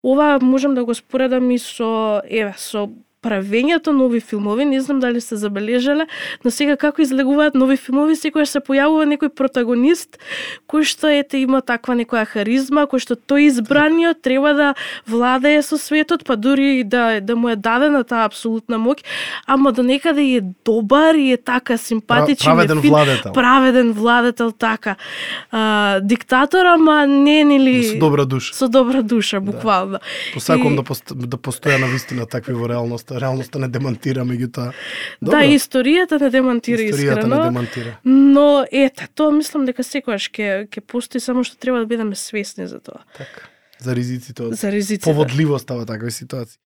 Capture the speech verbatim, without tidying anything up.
Ова можам да го споредам и со, еве, со правењето нови филмови, не знам дали сте забележале, но сега како излегуваат нови филмови, секогаш се појавува некој протагонист кој што ете има таква некоја харизма, кој што тој избраниот треба да владее со светот, па дури да да му е дадена таа апсолутна моќ, ама до некаде е добар и е така симпатичен, праведен фин, владетел. Праведен владетел така. А, диктатор, ама не нели Со добра душа. Со добра душа, буквално. Посакувам И... да пост, да постоја на вистина такви во реалноста. Реалноста не демонтира, меѓутоа. Да, историјата не демонтира историјата искрено. не демонтира. Но ете, тоа мислам дека секогаш ќе ќе постои, само што треба да бидеме свесни за тоа. Така. За ризиците од За ризиците. поводливоста во такви ситуации.